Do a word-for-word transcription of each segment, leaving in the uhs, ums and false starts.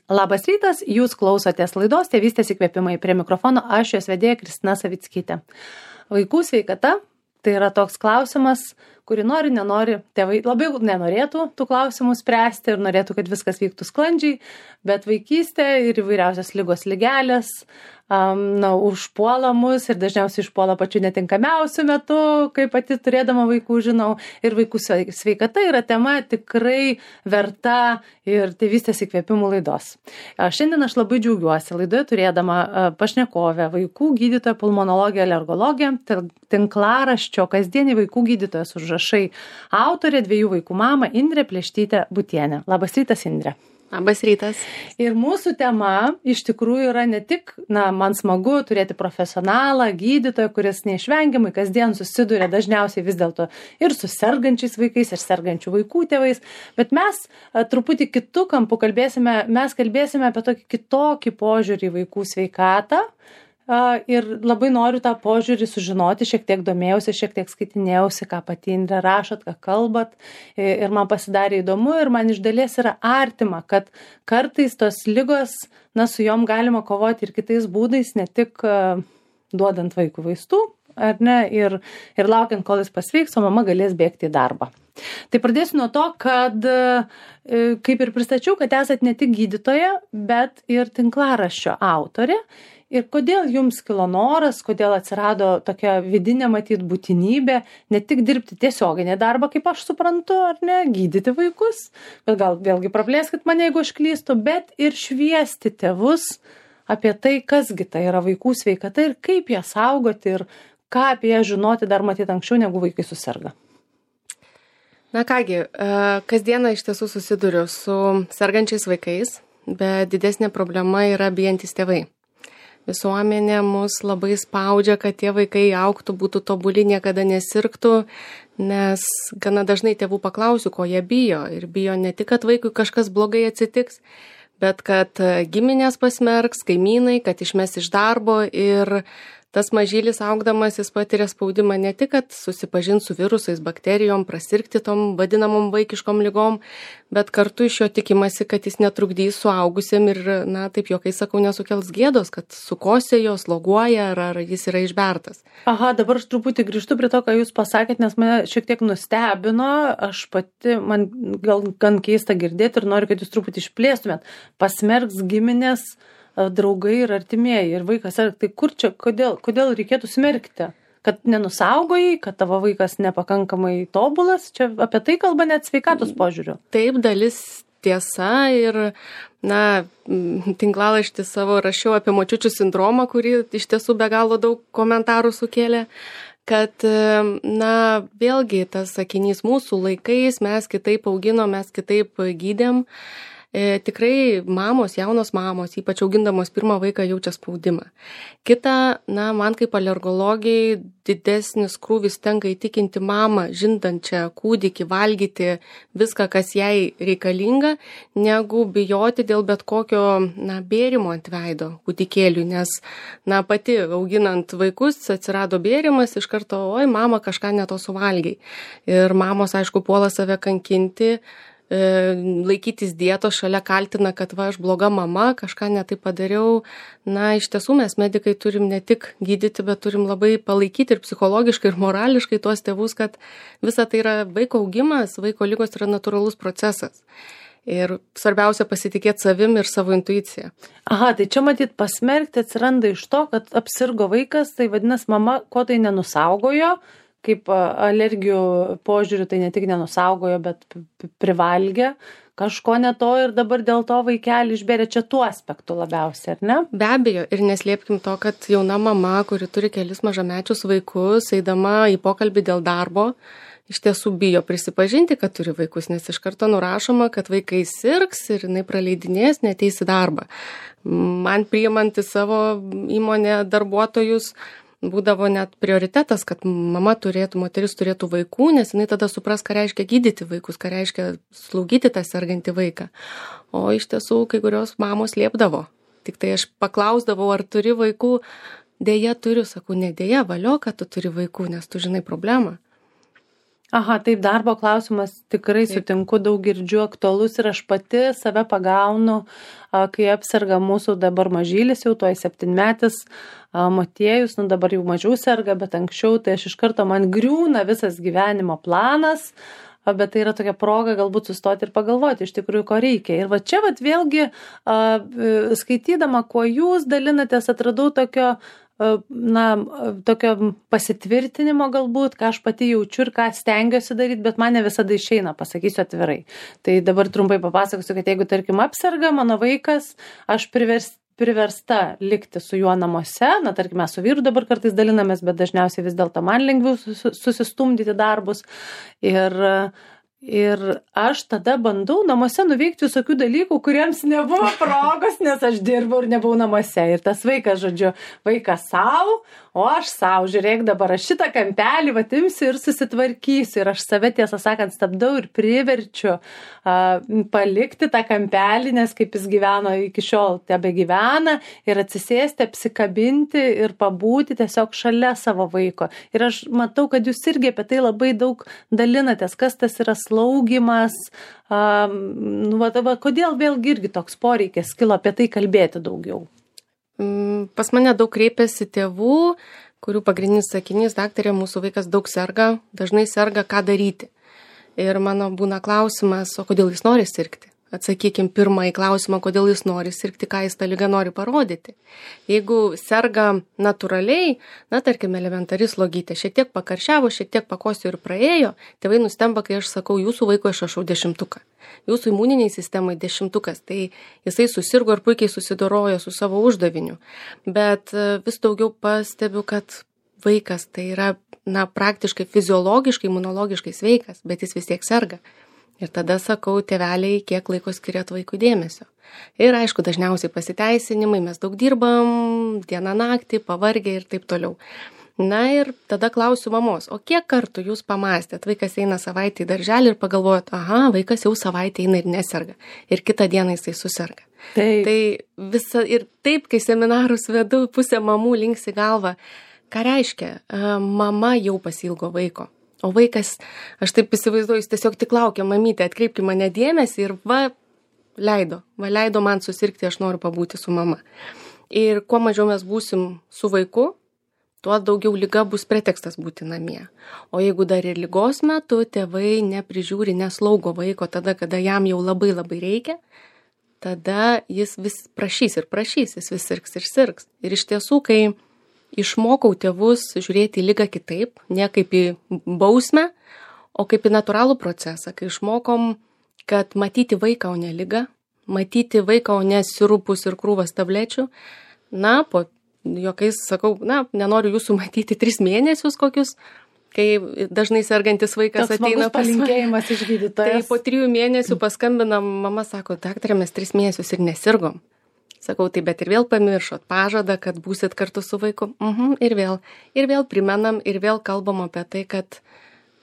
Labas rytas, jūs klausotės laidos Tėvystės įkvėpimai. Prie mikrofono aš jos vedėja Kristina Savickytė. Vaikų sveikata tai yra toks klausimas, kurį nori, nenori, tėvai labai nenorėtų tų klausimų spręsti ir norėtų, kad viskas vyktų sklandžiai, bet vaikystė ir įvairiausios ligos ligelės um, na, užpuola mus ir dažniausiai išpuola pačiu netinkamiausiu metu, kai pati turėdama vaikų žinau. Ir vaikų sveikata yra tema tikrai verta ir Tėvystės įkvėpimų laidos. Šiandien aš labai džiaugiuosi laidoje turėdama pašnekovę, vaikų gydytoją, pulmonologę, alergologę, tinklaraščio kasdienį vaikų gydytojas užrašai autorė, dviejų vaikų mama Indrė Pleštytė Butienė. Labas rytas, Indrė. Labas rytas. Ir mūsų tema iš tikrųjų yra ne tik, na, man smagu turėti profesionalą, gydytoją, kuris neišvengiamai kasdien susiduria dažniausiai vis dėlto ir su sergančiais vaikais, ir sergančių vaikų tėvais, bet mes a, truputį kitų kampų kalbėsime, mes kalbėsime apie tokį kitokį požiūrį į vaikų sveikatą. Uh, ir labai noriu tą požiūrį sužinoti, šiek tiek domėjausi, šiek tiek skaitinėjausi, ką pati Indrė rašot, ką kalbat, ir man pasidarė įdomu ir man iš dalies yra artima, kad kartais tos ligos, na, su jom galima kovoti ir kitais būdais, ne tik uh, duodant vaikų vaistų, ar ne, ir, ir laukiant, kol jis pasveiks, o mama galės bėgti į darbą. Tai pradėsiu nuo to, kad, kaip ir pristačiau, kad esat ne tik gydytoja, bet ir tinklaraščio autorė. Ir kodėl jums kilo noras, kodėl atsirado tokia vidinė matyt būtinybė ne tik dirbti tiesioginį darbą, kaip aš suprantu, ar ne, gydyti vaikus, bet gal vėlgi praplėskit mane, jeigu aš klystu, bet ir šviesti tėvus apie tai, kasgi tai yra vaikų sveikata ir kaip ją saugoti ir ką apie ją žinoti dar matyt anksčiau, negu vaikai suserga. Na kągi, kasdieną iš tiesų susiduriu su sergančiais vaikais, bet didesnė problema yra bijantys tėvai. Visuomenė mus labai spaudžia, kad tie vaikai augtų, būtų tobuli, niekada nesirgtų, nes gana dažnai tėvų paklausiu, ko jie bijo. Ir bijo ne tik, kad vaikui kažkas blogai atsitiks, bet kad giminės pasmerks, kaimynai, kad išmes iš darbo ir tas mažylis augdamas jis patiria spaudimą ne tik, kad susipažins su virusais, bakterijom, prasirgti tom vadinamom vaikiškom ligom, bet kartu iš jo tikimasi, kad jis netrukdys suaugusiem ir, na, taip juokais sakau, nesukels gėdos, kad sukosėjo, sloguoja ar, ar jis yra išbertas. Aha, dabar aš truputį grįžtu prie to, ką jūs pasakėt, nes mane šiek tiek nustebino, aš pati, man gal gan keista girdėti ir noriu, kad jūs truputį išplėstumėt. Pasmerks giminės, draugai ir artimieji ir vaikas, tai kur čia, kodėl, kodėl reikėtų smerkti? Kad nenusaugojai, kad tavo vaikas nepakankamai tobulas, čia apie tai kalba net sveikatos požiūriu. Taip, dalis tiesa ir, na, tinklalaštį savo rašiau apie močiučių sindromą, kurį iš tiesų be galo daug komentarų sukėlė, kad, na, vėlgi tas sakinys mūsų laikais, mes kitaip auginom, mes kitaip gydėm. E, tikrai mamos, jaunos mamos, ypač augindamos pirmą vaiką, jaučia spaudimą. Kita, na, man kaip alergologijai didesnis krūvis tenka įtikinti mamą, žindančią kūdikį, valgyti viską, kas jai reikalinga, negu bijoti dėl bet kokio, na, bėrimo ant veido kūdikėliui, nes, na, pati auginant vaikus atsirado bėrimas, iš karto, oi, mama kažką ne to suvalgiai. Ir mamos, aišku, puola save kankinti, laikytis dietos, šalia kaltina, kad va, aš bloga mama, kažką netai padariau. Na, iš tiesų mes medikai turim ne tik gydyti, bet turim labai palaikyti ir psichologiškai, ir morališkai tuos tėvus, kad visa tai yra vaiko augimas, vaiko ligos yra natūralus procesas. Ir svarbiausia pasitikėti savim ir savo intuiciją. Aha, tai čia matyt pasmerkti atsiranda iš to, kad apsirgo vaikas, tai vadinasi mama, ko tai nenusaugojo, kaip alergijų požiūrių, tai ne tik nenusaugojo, bet privalgė kažko ne to ir dabar dėl to vaikelį išbėrė, čia tuo aspektu labiausiai, ar ne? Be abejo, ir neslėpkim to, kad jauna mama, kuri turi kelis mažamečius vaikus, eidama į pokalbį dėl darbo, iš tiesų bijo prisipažinti, kad turi vaikus, nes iš karto nurašoma, kad vaikai sirgs ir jinai praleidinės, neateis į darbą. Man priimant į savo įmonę darbuotojus, būdavo net prioritetas, kad mama turėtų, moteris turėtų vaikų, nes jinai tada supras, ką reiškia gydyti vaikus, ką reiškia slaugyti tą sergantį vaiką. O iš tiesų, kai kurios mamos liepdavo. Tik tai aš paklausdavau, ar turi vaikų, dėja turiu, sakau, ne dėja, valio, kad tu turi vaikų, nes tu žinai problemą. Aha, taip, darbo klausimas tikrai Taip. sutinku, daug girdžiu aktualus ir aš pati save pagaunu, a, kai apserga mūsų dabar mažylis, jau tuoj septynmetis a, Motiejus, nu dabar jau mažiau serga, bet anksčiau tai aš iš karto man griūna visas gyvenimo planas, a, bet tai yra tokia proga galbūt sustoti ir pagalvoti iš tikrųjų, ko reikia. Ir va čia va vėlgi a, skaitydama, kuo jūs dalinatės, atradau tokio na, tokio pasitvirtinimo galbūt, ką aš pati jaučiu ir ką stengiuosi daryti, bet man ne visada išeina, pasakysiu atvirai. Tai dabar trumpai papasakosiu, kad jeigu, tarkim, apserga mano vaikas, aš privers, priversta likti su juo namuose, na, tarkim, mes su vyru dabar kartais dalinamės, bet dažniausiai vis dėlto man lengviau susistumdyti darbus. Ir Ir aš tada bandau namuose nuveikti visokių dalykų, kuriems nebuvo progos, nes aš dirbau ir nebuvau namuose. Ir tas vaikas, žodžiu, vaikas savo, o aš savo, žiūrėk, dabar aš šitą kampelį vatimsiu ir susitvarkysiu. Ir aš save, tiesą sakant, stabdau ir priverčiu a, palikti tą kampelį, nes kaip jis gyveno iki šiol, tebe gyvena, ir atsisėsti, apsikabinti ir pabūti tiesiog šalia savo vaiko. Ir aš matau, kad jūs irgi apie tai labai daug dalinatės, kas tas yra slaugimas, um, nu, va, va, kodėl vėlgi irgi toks poreikis kilo apie tai kalbėti daugiau? Pas mane daug kreipiasi tėvų, kurių pagrindinis sakinys, daktarė, mūsų vaikas daug serga, dažnai serga, ką daryti. Ir mano būna klausimas, o kodėl jis nori sirgti? Atsakykim pirmąjį klausimą, kodėl jis nori sirgti, ką jis tą ligą nori parodyti. Jeigu serga natūraliai, na, tarkim, elementari slogytė, šiek tiek pakaršiavo, šiek tiek pakosio ir praėjo, tėvai nustemba, kai aš sakau, jūsų vaiko išrašau dešimtuką. Jūsų imuniniai sistemai dešimtukas, tai jisai susirgo ir puikiai susidorojo su savo uždaviniu. Bet vis daugiau pastebiu, kad vaikas tai yra, na, praktiškai fiziologiškai, imunologiškai sveikas, bet jis vis tiek serga. Ir tada sakau, tėveliai, kiek laiko skiriat vaikui dėmesio. Ir aišku, dažniausiai pasiteisinimai, mes daug dirbam, dieną naktį, pavargę ir taip toliau. Na ir tada klausiu mamos, o kiek kartų jūs pamastėt, vaikas eina savaitę į darželį ir pagalvojat, aha, vaikas jau savaitę eina ir neserga. Ir kitą dieną jisai suserga. Taip. Tai visa, ir taip, kai seminarus vedu, pusė mamų linksi galvą, ką reiškia, mama jau pasilgo vaiko. O vaikas, aš taip įsivaizduoju, jis tiesiog tik laukia, mamytė, atkreipki mane dėmesį ir va, leido, va, leido man susirgti, aš noriu pabūti su mama. Ir kuo mažiau mes būsim su vaiku, tuo daugiau liga bus pretekstas būti namie. O jeigu dar ir ligos metu tėvai neprižiūri, neslaugo vaiko tada, kada jam jau labai labai reikia, tada jis vis prašys ir prašys, jis vis sirgs ir sirgs. Ir iš tiesų, kai išmokau tėvus žiūrėti į ligą kitaip, ne kaip į bausmę, o kaip į natūralų procesą, kai išmokom, kad matyti vaiką, o ne ligą, matyti vaiką, o ne sirupus ir krūvas tablečių. Na, po juokais sakau, na, nenoriu jūsų matyti tris mėnesius kokius, kai dažnai sergantis vaikas toks ateina pas mane. Palinkėjimas iš gydytojos. Tai po trijų mėnesių paskambina, mama sako, daktarė, mes tris mėnesius ir nesirgom. Sakau, tai bet ir vėl pamiršot pažadą, kad būsit kartu su vaiku. Mhm, ir vėl. Ir vėl primenam, ir vėl kalbam apie tai, kad,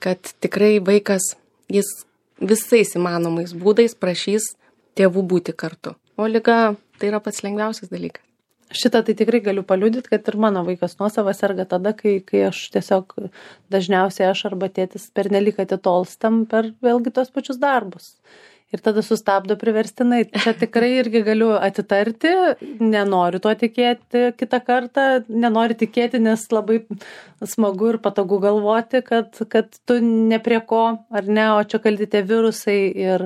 kad tikrai vaikas, jis visais įmanomais būdais prašys tėvų būti kartu. O liga tai yra pats lengviausias dalykas. Šitą tai tikrai galiu paliudyti, kad ir mano vaikas nuosavas serga tada, kai, kai aš tiesiog dažniausiai aš arba tėtis pernelyg atitolstam per vėlgi tos pačius darbus. Ir tada sustabdo priverstinai. Čia tikrai irgi galiu atitarti, nenoriu tuo tikėti kitą kartą, nenoriu tikėti, nes labai smagu ir patogu galvoti, kad, kad tu ne prie ko, ar ne, o čia kalti tie virusai ir,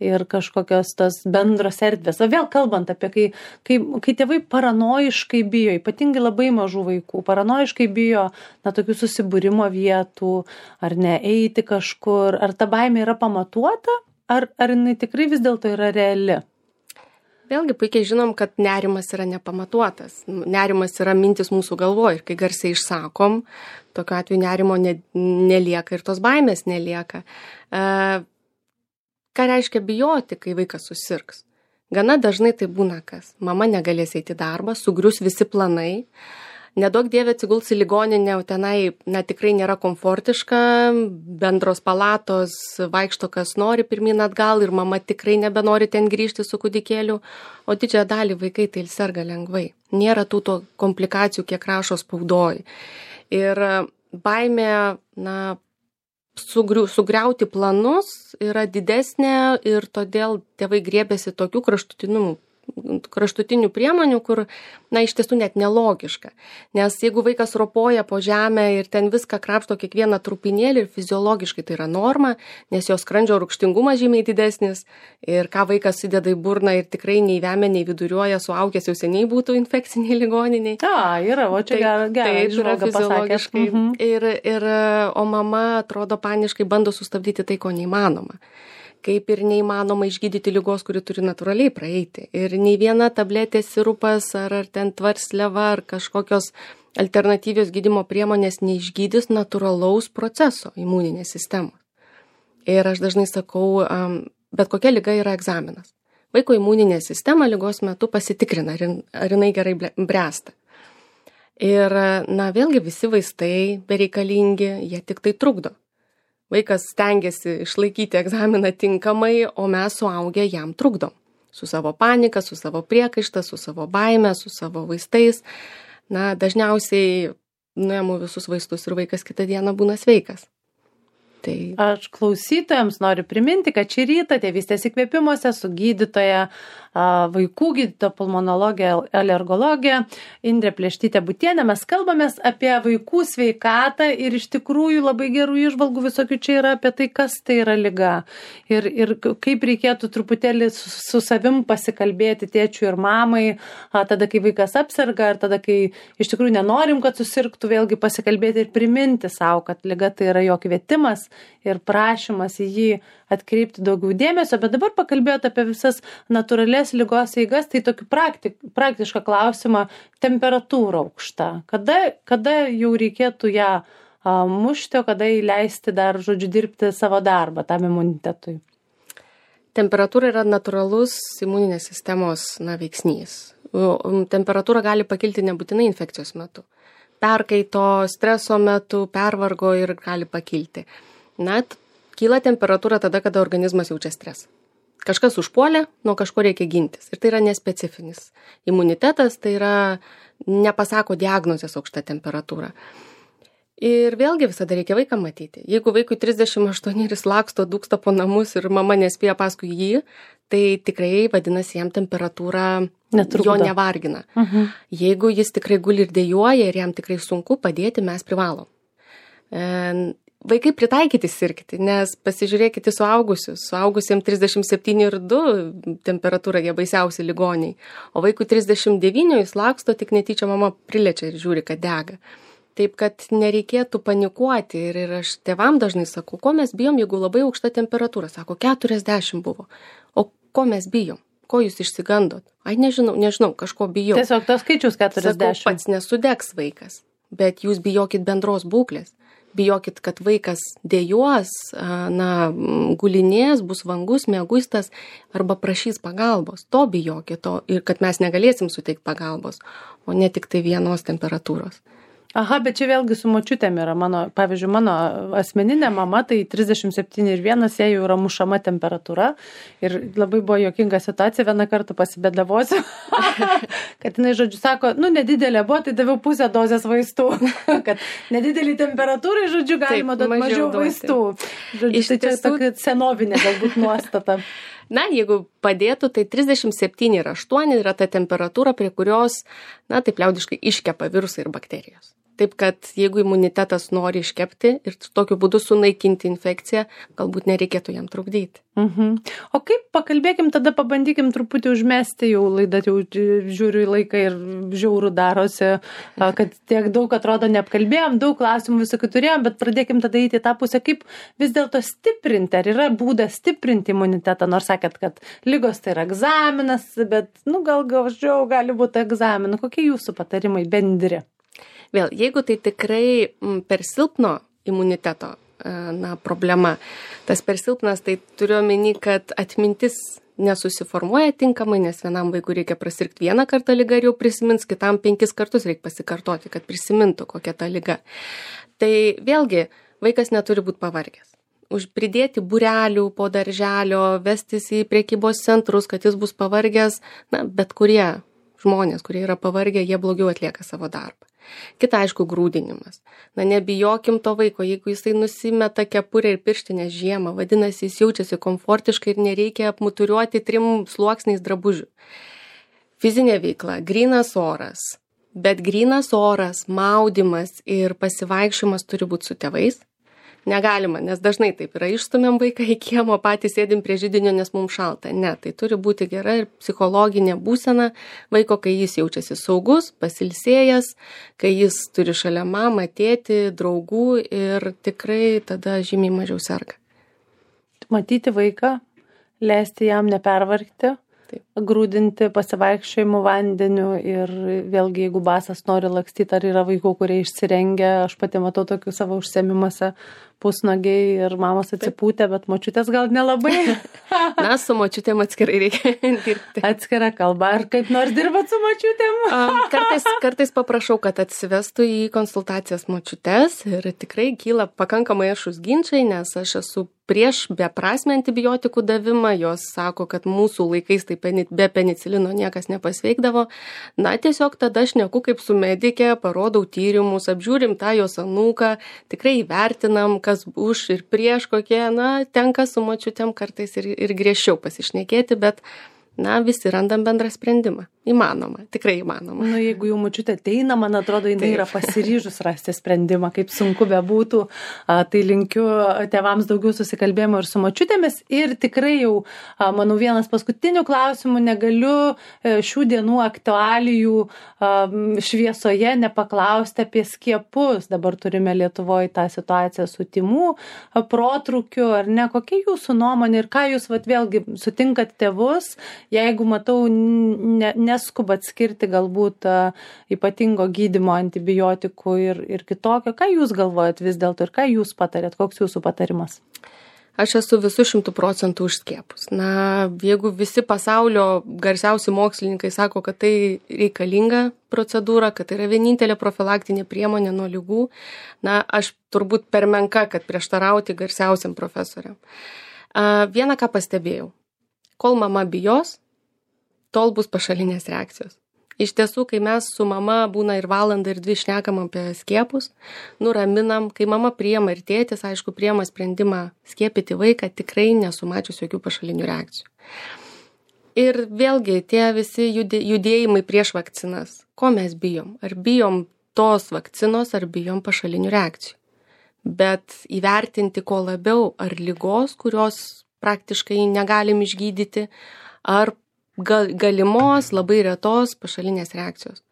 ir kažkokios tos bendros erdvės. O vėl kalbant apie, kai, kai, kai tėvai paranojiškai bijo, ypatingai labai mažų vaikų, paranojiškai bijo, na, tokių susibūrimo vietų, ar ne, eiti kažkur, ar ta baimė yra pamatuota? Ar, ar jinai tikrai vis dėlto yra reali? Vėlgi puikiai žinom, kad nerimas yra nepamatuotas. Nerimas yra mintis mūsų galvoje ir kai garsiai išsakom, tokiu atveju nerimo ne, nelieka ir tos baimės nelieka. E, ką reiškia bijoti, kai vaikas susirgs? Gana dažnai tai būna kas. Mama negalės eiti į darbą, sugrius visi planai. Nedaug dievė atsiguls į ligoninę, o tenai, na, tikrai nėra komfortiška, bendros palatos, vaikšto kas nori pirmyn atgal ir mama tikrai nebenori ten grįžti su kūdikėliu, o didžiąją dalį vaikai tai serga lengvai. Nėra tų to komplikacijų, kiek rašo spaudoj. Ir baimė, na, sugriu, sugriauti planus yra didesnė ir todėl tėvai griebėsi tokių kraštutinumų kraštutinių priemonių, kur, na, iš tiesų net nelogiška. Nes jeigu vaikas ropoja po žemę ir ten viską krapšto kiekvieną trupinėlį ir fiziologiškai tai yra norma, nes jo skrandžio rūgštingumas žymiai didesnis ir ką vaikas įdeda į burną ir tikrai nei vemia, nei viduriuoja, suaugęs jau seniai būtų infekciniai ligoniniai. A, yra, o čia gerai, gerai, žmoga fiziologiškai. Mhm. Ir, ir, o mama atrodo paniškai bando sustabdyti tai, ko neįmanoma. Kaip ir neįmanoma išgydyti ligos, kuri turi natūraliai praeiti. Ir nei viena tabletė, sirupas ar, ar ten tvarsleva ar kažkokios alternatyvios gydymo priemonės neišgydys natūralaus proceso imuninės sistemos. Ir aš dažnai sakau, bet kokia liga yra egzaminas. Vaiko imuninė sistema ligos metu pasitikrina, ar jinai gerai bręsta. Ir, na, vėlgi visi vaistai bereikalingi, jie tik tai trukdo. Vaikas stengiasi išlaikyti egzaminą tinkamai, o mes suaugę jam trukdom. Su savo panika, su savo priekaišta, su savo baime, su savo vaistais. Na, dažniausiai nuėmu visus vaistus ir vaikas kitą dieną būna sveikas. Tai... Aš klausytojams noriu priminti, kad šį rytą Tėvystės įkvėpimuose su gydytoja, vaikų gydytoja, pulmonologė, alergologė Indrė Plėštytė-Butienė mes kalbamės apie vaikų sveikatą ir iš tikrųjų labai gerų įžvalgų visokių čia yra apie tai, kas tai yra liga ir, ir kaip reikėtų truputėlį su, su savim pasikalbėti tėčiui ir mamai, tada kai vaikas apserga ir tada kai iš tikrųjų nenorim, kad susirgtų, vėlgi pasikalbėti ir priminti savo, kad liga tai yra jo kvietimas ir prašymas į jį atkreipti daugiau dėmesio, bet dabar pakalbėjote apie visas natūralias ligos eigas, tai tokį praktik, praktišką klausimą, temperatūra aukšta. Kada, kada jau reikėtų ją a, mušti, o kada įleisti dar, žodžiu, dirbti savo darbą tam imunitetui? Temperatūra yra natūralus imuninės sistemos, na, veiksnys. Temperatūra gali pakilti nebūtinai infekcijos metu. Perkaito, streso metu, pervargo ir gali pakilti. Na, kyla temperatūra tada, kada organizmas jaučia stresą. Kažkas užpuolė, nuo kažko reikia gintis. Ir tai yra nespecifinis. Imunitetas tai yra, nepasako diagnozės aukšta temperatūra. Ir vėlgi visada reikia vaiką matyti. Jeigu vaikui trisdešimt aštuoni ir jis laksto, dūksta po namus ir mama nespėja paskui jį, tai tikrai vadinasi jam temperatūra Netrukdo. Jo nevargina. Uh-huh. Jeigu jis tikrai guli ir dejuoja ir jam tikrai sunku padėti, mes privalom. E, Vaikai pritaikyti sirgti, nes pasižiūrėkite suaugusius. Suaugusiems trisdešimt septyni ir du temperatūra, jie baisiausi ligoniai. O vaikui trisdešimt devyni jis laksto, tik netyčia mama priliečia ir žiūri, kad dega. Taip, kad nereikėtų panikuoti. Ir, ir aš tėvam dažnai sakau, ko mes bijom, jeigu labai aukšta temperatūra. Sako, keturiasdešimt buvo. O ko mes bijom? Ko jūs išsigandot? Ai, nežinau, nežinau, kažko bijau. Tiesiog tos skaičius keturiasdešimt. Sakau, pats nesudegs vaikas, bet jūs bijokit bendros būklės. Bijokit, kad vaikas dejuos, na, gulinės, bus vangus, mieguistas arba prašys pagalbos. To bijokit, to, ir kad mes negalėsim suteikti pagalbos, o ne tik tai vienos temperatūros. Aha, bet čia vėlgi su močiutėm yra mano, pavyzdžiui, mano asmeninė mama, tai trisdešimt septyni ir vienas, jai jau yra mušama temperatūra ir labai buvo juokinga situacija, vieną kartą pasibėdavosiu, kad jinai, žodžiu, sako, nu, nedidelė buvo, tai daviau pusę dozės vaistų, kad nedidelį temperatūrai, žodžiu, galima duoti mažiau, mažiau vaistų. Žodžiu, Iš tai čia tiesų... tokia senovinė galbūt nuostata. Na, jeigu padėtų, tai trisdešimt septyni ir aštuoni yra ta temperatūra, prie kurios, na, taip liaudiškai iškepa virusai ir bakterijos. Taip, kad jeigu imunitetas nori iškepti ir tokiu būdu sunaikinti infekciją, galbūt nereikėtų jam trukdyti. Mhm. O kaip, pakalbėkim, tada pabandykim truputį užmesti, jau laidą, jau žiūriu į laiką ir žiaurų darosi, kad tiek daug atrodo neapkalbėjom, daug klausimų visokių turėjom, bet pradėkim tada įti tą pusę, kaip vis dėlto stiprinti, ar yra būdas stiprinti imunitetą, nors sakėt, kad ligos tai yra egzaminas, bet, nu, gal gaužiau gali būti egzaminų. Kokie jūsų patarimai bendri? Vėl, jeigu tai tikrai per silpno imuniteto, na, problema, tas per silpnas, tai turiu omeny, kad atmintis nesusiformuoja tinkamai, nes vienam vaikui reikia prasirgti vieną kartą ligą ir jau prisimins, kitam penkis kartus reikia pasikartoti, kad prisimintų kokia ta liga. Tai vėlgi, vaikas neturi būti pavargęs. Už pridėti būrelių po darželio, vestis į prekybos centrus, kad jis bus pavargęs, na, bet kurie žmonės, kurie yra pavargę, jie blogiau atlieka savo darbą. Kita, aišku, grūdinimas. Na, nebijokim to vaiko, jeigu jisai nusimeta kepurę ir pirštinę žiemą, vadinasi, jis jaučiasi komfortiškai ir nereikia apmuturiuoti trim sluoksniais drabužių. Fizinė veikla, grynas oras, bet grynas oras, maudymas ir pasivaikščiojimas turi būti su tėvais. Negalima, nes dažnai taip yra, išstumėm vaiką į kiemą, patys sėdim prie židinio, nes mums šalta. Ne, tai turi būti gera ir psichologinė būsena vaiko, kai jis jaučiasi saugus, pasilsėjęs, kai jis turi šalia mamą, tėtį, draugų ir tikrai tada žymiai mažiau serga. Matyti vaiką, leisti jam nepervargti, Taip. grūdinti pasivaikščiojimų vandeniu ir vėlgi, jeigu basas nori lakstyti, ar yra vaikų, kurie išsirengia, aš pati matau tokių savo užsiėmimuose, pusnagiai ir mamos atsipūtę, bet močiutės gal nelabai. Na, su močiutėm atskirai reikia dirbti. Atskira kalba. Ar kaip nors dirbat su močiutėm? Kartais, kartais paprašau, kad atsivestų į konsultacijas močiutės ir tikrai kyla pakankamai ašus ginčiai, nes aš esu prieš beprasmę antibiotikų davimą. Jos sako, kad mūsų laikais tai be penicilino niekas nepasveikdavo. Na, tiesiog tada aš neku kaip su medikė, parodau tyrimus, apžiūrim tą jos anūką, tikrai įvertinam, kas už ir prieš kokie, na, tenka su močiutėm kartais ir, ir griežčiau pasišnekėti, bet, na, visi randam bendrą sprendimą. Įmanoma, tikrai įmanoma. Nu, jeigu jau močiutė ateina, man atrodo, jinai Taip. yra pasiryžus rasti sprendimą, kaip sunku bebūtų, tai linkiu tėvams daugiau susikalbėjimo ir su močiutėmis. Ir tikrai jau, manau, vienas paskutinių klausimų, negaliu šių dienų aktualijų šviesoje nepaklausti apie skiepus. Dabar turime Lietuvoje tą situaciją su tymų protrukiu, ar ne? Kokia jūsų nuomonė ir ką jūs vat, vėlgi sutinkat tėvus, jeigu matau ne, neskubat skirti galbūt uh, ypatingo gydymo antibiotikų ir, ir kitokio. Ką jūs galvojat vis dėlto ir ką jūs patarėt? Koks jūsų patarimas? Aš esu visų šimtų procentų už skiepus. Na, jeigu visi pasaulio garsiausi mokslininkai sako, kad tai reikalinga procedūra, kad tai yra vienintelė profilaktinė priemonė nuo ligų, na, aš turbūt per menka, kad prieštarauti garsiausiam profesoriam. Uh, vieną ką pastebėjau. Kol mama bijos, tol bus pašalinės reakcijos. Iš tiesų, kai mes su mama būna ir valandą ir dvi šnekam apie skiepus, nuraminam, kai mama priema ir tėtis, aišku, priema sprendimą skiepyti vaiką, tikrai nesumačius jokių pašalinių reakcijų. Ir vėlgi tie visi judėjimai prieš vakcinas. Ko mes bijom? Ar bijom tos vakcinos, ar bijom pašalinių reakcijų? Bet įvertinti ko labiau, ar ligos, kurios praktiškai negalim išgydyti, ar gal, galimos, labai retos pašalinės reakcijos.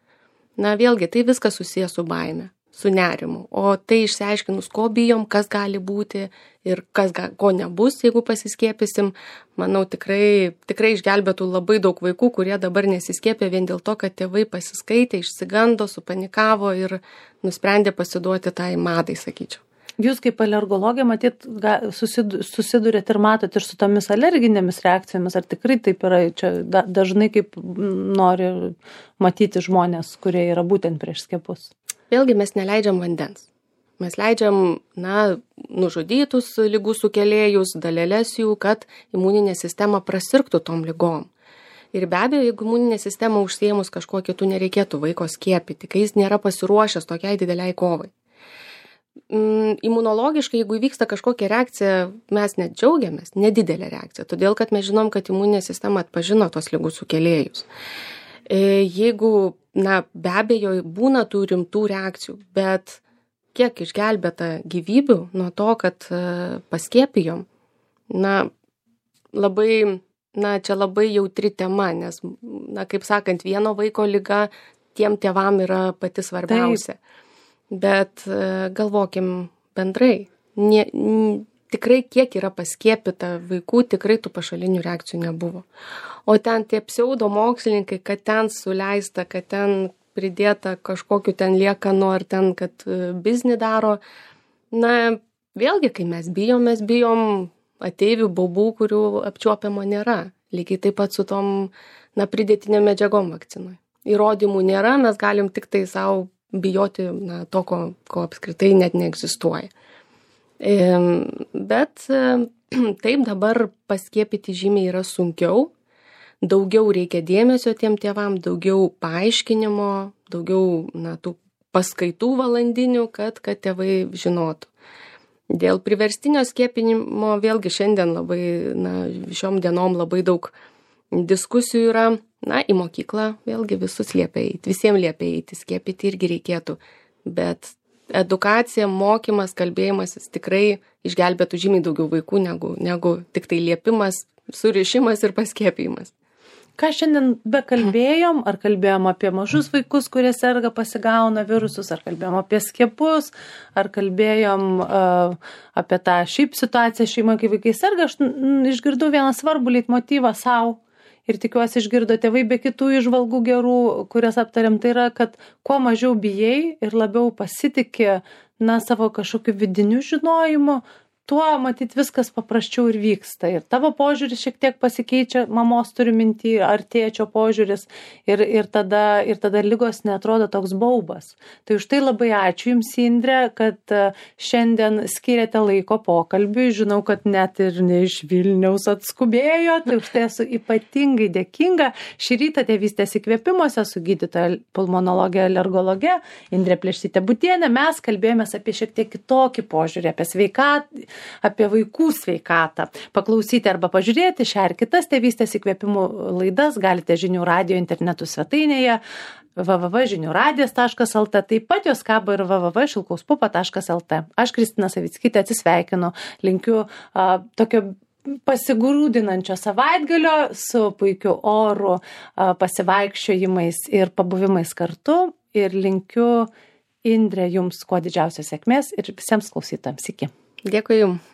Na, vėlgi, tai viskas susijęs su baime, su nerimu. O tai išsiaiškinus, ko bijom, kas gali būti ir kas ga, ko nebus, jeigu pasiskiepysim, manau, tikrai, tikrai išgelbėtų labai daug vaikų, kurie dabar nesiskiepė vien dėl to, kad tėvai pasiskaitė, išsigando, supanikavo ir nusprendė pasiduoti tai madai, sakyčiau. Jūs kaip alergologė, matyt, susidurėt ir matot ir su tomis alerginėmis reakcijomis, ar tikrai taip yra, čia dažnai kaip nori matyti žmonės, kurie yra būtent prieš skiepus? Vėlgi mes neleidžiam vandens. Mes leidžiam, na, nužudytus ligų sukėlėjus, dalelės jų, kad imuninė sistema prasirgtų tom ligom. Ir be abejo, jeigu imuninė sistema užsiėmus kažkuo kitų, nereikėtų vaiko skiepyti, kai jis nėra pasiruošęs tokiai dideliai kovai. Imunologiškai, jeigu įvyksta kažkokia reakcija, mes net džiaugiamės, nedidelė reakcija, todėl kad mes žinom, kad imuninė sistema atpažino tos ligų sukėlėjus. Jeigu, na, be abejo, būna tų rimtų reakcijų, bet kiek išgelbėta gyvybių nuo to, kad paskiepijom, na, labai, na, čia labai jautri tema, nes, na, kaip sakant, vieno vaiko liga tiem tėvam yra pati svarbiausia. Taip. Bet galvokim bendrai, nie, n, tikrai kiek yra paskiepyta vaikų, tikrai tų pašalinių reakcijų nebuvo. O ten tie pseudo mokslininkai, kad ten suleista, kad ten pridėta kažkokiu ten liekanų ar ten, kad biznį daro. Na, vėlgi, kai mes bijom, mes bijom ateivių baubų, kurių apčiuopiamo nėra. Lygiai taip pat su tom, na, pridėtinėm medžiagom vakcinui. Įrodymų nėra, mes galim tik tai savo bijoti, na, to, ko, ko apskritai net neegzistuoja. E, bet e, taip dabar paskiepyti žymiai yra sunkiau, daugiau reikia dėmesio tiem tėvam, daugiau paaiškinimo, daugiau, na, tų paskaitų valandinių, kad, kad tėvai žinotų. Dėl priverstinio skiepinimo vėlgi šiandien labai, na, šiom dienom labai daug diskusijų yra. Na, į mokyklą vėlgi visus liepia eiti, visiems liepia eiti, skiepyti irgi reikėtų. Bet edukacija, mokymas, kalbėjimasis tikrai išgelbėtų žymiai daugiau vaikų negu, negu tik tai liepimas, surišimas ir paskiepijimas. Ką šiandien bekalbėjom, ar kalbėjom apie mažus vaikus, kurie serga, pasigauna virusus, ar kalbėjom apie skiepus, ar kalbėjom uh, apie tą šiaip situaciją šeimoje, kai vaikai serga, aš n, išgirdau vieną svarbų leitmotyvą savo ir tikiuosi išgirdo tėvai be kitų įžvalgų gerų, kurias aptariam, tai yra, kad kuo mažiau bijai ir labiau pasitiki na, savo kažkokiu vidiniu žinojimu, tuo, matyt, viskas paprasčiau ir vyksta. Ir tavo požiūris šiek tiek pasikeičia, mamos turi mintį, ar tėčio požiūris, ir, ir, tada, ir tada ligos neatrodo toks baubas. Tai už tai labai ačiū Jums, Indrė, kad šiandien skiriate laiko pokalbiui. Žinau, kad net ir ne iš Vilniaus atskubėjo, tai už tai esu ypatingai dėkinga. Šį rytą Tėvystės įkvėpimuose su gydytoja pulmonologė, alergologė Indrė Plėštytė-Butienė mes kalbėjomės apie šiek tiek kitokį požiūrį, apie sveikatą, apie vaikų sveikatą. Paklausyti arba pažiūrėti šią ar kitas Tėvystės įkvėpimų laidas galite Žinių radijo internetų svetainėje w w w taškas žinių radijas taškas l t, taip pat jos kabo ir w w w taškas šilkauspupa taškas l t. Aš Kristina Savickytė atsisveikinu, linkiu a, tokio pasigrūdinančio savaitgalio su puikiu oru, a, pasivaikščiojimais ir pabuvimais kartu ir linkiu, Indrė, Jums kuo didžiausios sėkmės ir visiems klausytojams. Iki. Dėkui Jums.